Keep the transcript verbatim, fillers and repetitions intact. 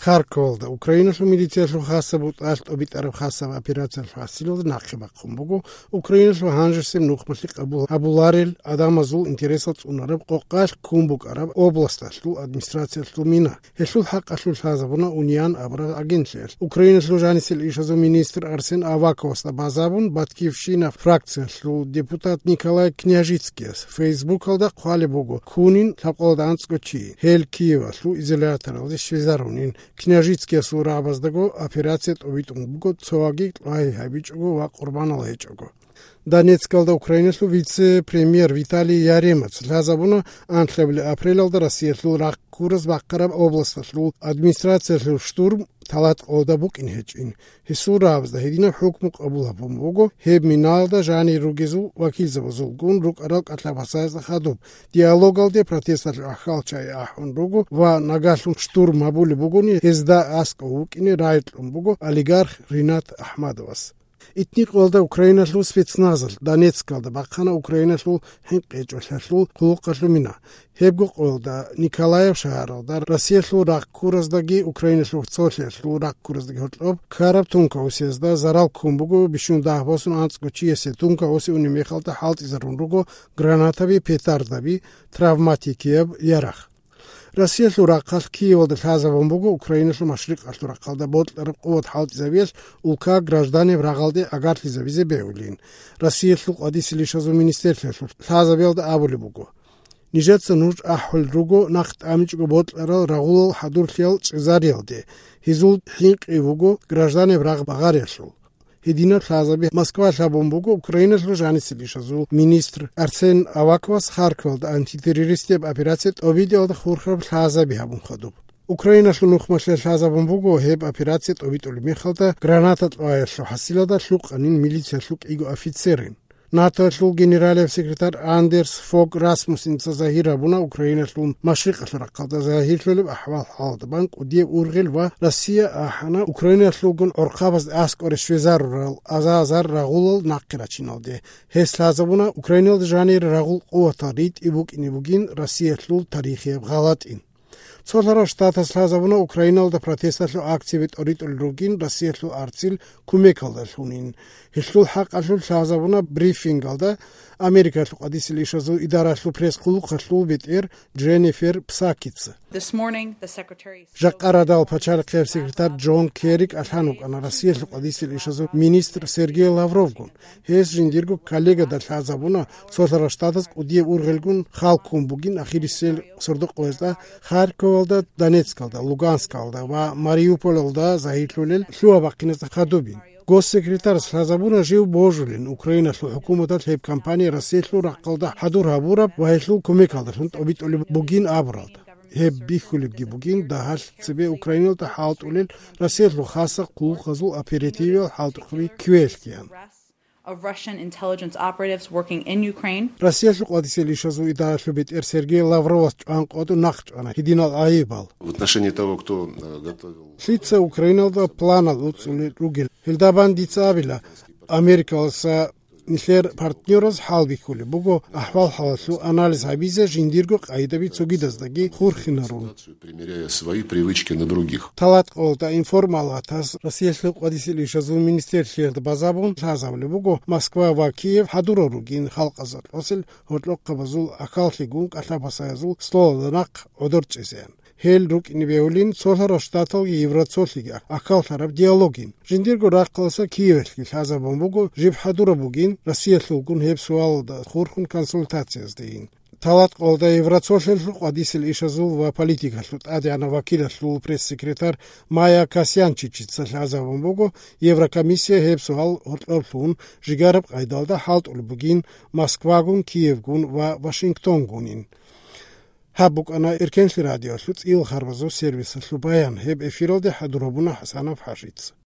Харьковалда Украиналъул милициялъул хасаб бутӀалъ тӀобитӀараб хасаб операциялъул хӀасилалда нахъе бахъун буго Украиналъул гьанжесеб нухмалъи къабул гьабуларел адамазул интересал цӀунараб къокъалъ ккун букӀараб областалъул администрациялъул мина. Гьелъул хӀакъалъулъ лъазабуна Униан абураб агентлъиялъ. Украиналъул жанисел ишазул министр Арсен Аваковасда базабун, «Батькивщина» фракциялъул депутат Николай Княжицкияс Фейсбукалда хъвалеб буго ккунин лъабкъоялда анцӀго чи. Гьел Киевалъул изоляторалде щвезарунин. Княжицкиясул рагӀабаздаго операция тӀобитӀун буго, цоги лъугьа-гьабичӀого ва къурбанал гьечӀого. Донецкалда Украиналъул вице-премьер Виталий Яремац лъазабуна анлъабилеб апрелалда Россиялъул рагъ ккураз бахъараб областалъул администрациялъул штурм талат къоялда букӀин гьечӀин. Гьесул рагӀабазда гьединаб хӀукму къабул гьабун буго гьеб минаялда жанир ругезул вакилзабазулгун рукӀарал кӀалъа-пасаязда хадуб. Диалогалде протесталъул ахьвал-чагӀи ахӀун руго ва нагагьлъун штурм гьабулеб бугони, гьезда аскӀов вукӀине рагӀи кьун буго олигарх Ринат Ахмадовас. Итни къоялда Украиналъул спецназалъ Донецкалда бахъана Украиналъул хӀинкъичӀолъиялъул хъулухъалъул мина. Гьебго къоялда Николаев шагьаралда Россиялъул рагъ ккураздаги Украиналъул цолъиялъул рагъ ккураздаги гьоркьоб ккараб тункаусиязда зарал ккун буго бищун дагь босун анцӀго чиясе. Тункауси унеб мехалда хӀалтӀизарун руго гранатаби, петардаби, травматикияб ярагъ. Россиялъул рахъалъ Киевалда лъазабун буго Украиналъул машрикъалъул рахъалда бокьараб къуват хӀалтӀизабиялъ улка гражданиял рагъалде агарлъизабизе бегьулин. Россиялъул къвадисел ишазул министрлъиялъул лъазабиялда абулеб буго: «Нижеца нуж ахӀулел руго нахъ тӀамичӀого бокьарал рагъулал хӀадурлъиял чӀезариялде, гьезул хӀинкъи вуго гражданиял рагъ багъариялъул». Гьединаб лъазаби Москва лъабун буго Украиналъул жанисел ишазул министр Арсен Аваковас Харьковалда антитеррористияб операция тӀобитӀиялда хурхараб лъазаби гьабун хадуб. Украиналъул нухмалъе лъазабун буго гьеб операция тӀобитӀулеб мехалда граната кьваялъул хӀасилалда лъукъанин милициялъул кӀиго офицерин. НАТОялъул генералияб секретарь Андерс Фог Расмуссеница загьир гьабуна Украиналъул машрикъалъул рахъалда загьирлъулеб ахӀвал-хӀалалда бан кӀудияб ургъел ва Россия ахӀана Украиналъулгун гӀорхъабазда аскӀоре щвезарурал азар-азар рагъулал нахъе рачиналде. Гьес лъазабуна Украиналда жанир рагъул къуватал ритӀи букӀине бугин Россиялъул тарихияб гъалатӀин. Цолъарал Штатас лъазабуна Украиналда протесталъул акцияби тӀоритӀулел ругин Россиялъул арцил кумекалдалъунин. Гьелъул хӀакъалъулъ лъазабуна брифингалда Америкалъул къвадисел ишазул идаралъул пресс-хъулухъалъул бетӀер Дженнифер Псакица. This morning, the Secretary Жакъа радал пачалихъияб секретарь Джон Керри кӀалъан вукӀана Россиялъул къвадисел ишазул министр Сергей Лавровгун. Гьес жиндирго коллегада лъазабуна, цолъарал Штатаз кӀудияб ургъелгун хал ккун бугин ахирисел сордо-къоязда, Харьковалда, Донецкалда, Луганскалда ва Мариуполалда загьирлъулел лъугьа-бахъиназда хадубин. Госсекретарас лъазабуна жив божулин Украиналъул хӀукуматалъ гьеб кампания Россиялъул рахъалда хӀадур гьабураб ва гьелъул кумекалдалъун тӀобитӀулеб бугин абуралда. Гьеб бихьулебги бугин дагьалъ цебе Украиналда хӀалтӀулел Россиялъул хасал хъулухъазул оперативиял хӀалтӀухъаби кквеялъ ккеян. Of Russian intelligence operatives working in Ukraine. Россиялъул къвадисел ишазул идаралъул бетӀер Сергей Лавровас чӀван къотӀун нахъ чӀвана гьединал гӀайибал. В отношении того, кто, э, готовил Лъица Украиналда планал уцӀцӀулел ругел, гьелда бан дица абила, Америкаласа нилъер партнераз хӀалбихьулеб буго ахӀвал-хӀалалъул анализ гьабизе жиндирго къайдаби цогидаздаги хурхинарун. Примеряя свои привычки на других. Талат къолда информалатас Россиялъул къвадисел ишазул министрлъиялда базабун лъазабулеб буго Москва ва Киев хӀадурал ругин халкъазда тӀасел гьоркьохъабазул ахьаллъигун кӀалъа-пасаязул столалда нахъ гӀодор чӀезеян. Гьел рукӀине бегьулин цолъарал Штаталги Евроцолъиги ахьаллъараб диалогин. Жиндирго рахъалъа Киевалъги лъазабун буго, жиб хӀадураб бугин Россиялъулгун гьеб суалалда хурхун консультациязде ин. Талат къолда Евроцолъиялъул къвадисел ишазул ва политикалъул тӀадегӀанав вакилалъул пресс-секретарь Майя Касьянчичица лъазабун буго, Еврокомиссия гьеб суал гьоркьоблъун жигараб къайдалда хӀалтӀулеб бугин Москвагун, Киевгун ва Вашингтонгунин. Гьаб букӀана Эркенлъи радиоялъул цӀийил харбазул сервисалъул баян. Гьеб эфиралде хӀадур гьабуна ХӀасанов ХӀажица.